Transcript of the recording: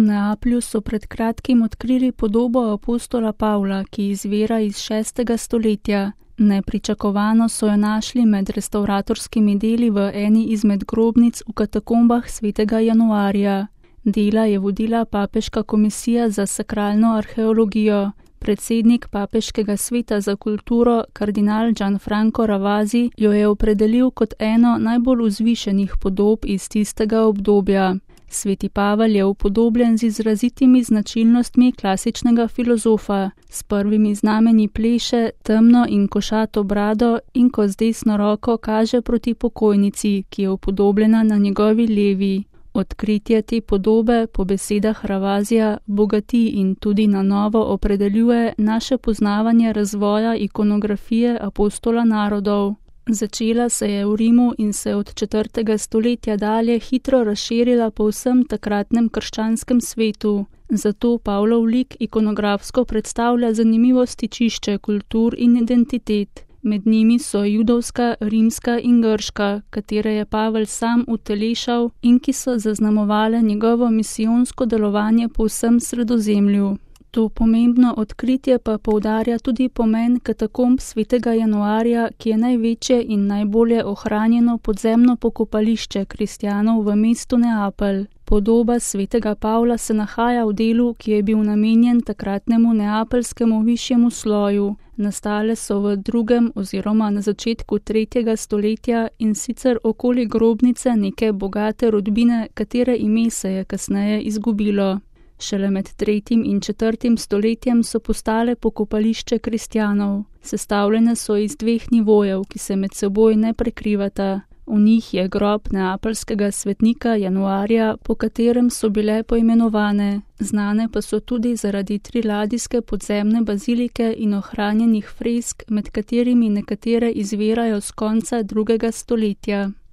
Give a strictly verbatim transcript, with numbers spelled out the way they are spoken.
V Neaplju so pred kratkim odkrili podobo apostola Pavla, ki izvira iz šestega stoletja. Nepričakovano so jo našli med restavratorskimi deli v eni izmed grobnic v katakombah svetega Januarja. Dela je vodila papeška komisija za sakralno arheologijo. Predsednik papeškega sveta za kulturo, kardinal Gianfranco Ravasi, jo je opredelil kot eno najbolj vzvišenih podob iz tistega obdobja. Sveti Pavel je upodobljen z izrazitimi značilnostmi klasičnega filozofa. S prvimi znamenji pleše, temno in košato brado in ko z desno roko kaže proti pokojnici, ki je upodobljena na njegovi levi. Odkritje te podobe, po besedah Ravasija, bogati in tudi na novo opredeljuje naše poznavanje razvoja ikonografije apostola narodov. Začela se je v Rimu in se od četrtega stoletja dalje hitro razširila po vsem takratnem krščanskem svetu. Zato Pavlov lik ikonografsko predstavlja zanimivo stičišče kultur in identitet. Med njimi so judovska, rimska in grška, katere je Pavel sam utelešal in ki so zaznamovale njegovo misijonsko delovanje po vsem Sredozemlju. To pomembno odkritje pa poudarja tudi pomen katakomb svetega Januarja, ki je največje in najbolje ohranjeno podzemno pokopališče kristjanov v mestu Neapelj. Podoba svetega Pavla se nahaja v delu, ki je bil namenjen takratnemu neapeljskemu višjemu sloju. Nastale so v drugem oziroma na začetku tretjega stoletja in sicer okoli grobnice neke bogate rodbine, katere ime se je kasneje izgubilo. Šele med tretjim in četrtim stoletjem so postale pokopališče kristjanov. Sestavljene so iz dveh nivojev, ki se med seboj ne prekrivata. V njih je grob neapeljskega svetnika Januarja, po katerem so bile poimenovane. Znane pa so tudi zaradi triladijske podzemne bazilike in ohranjenih fresk, med katerimi nekatere izvirajo z konca drugega stoletja.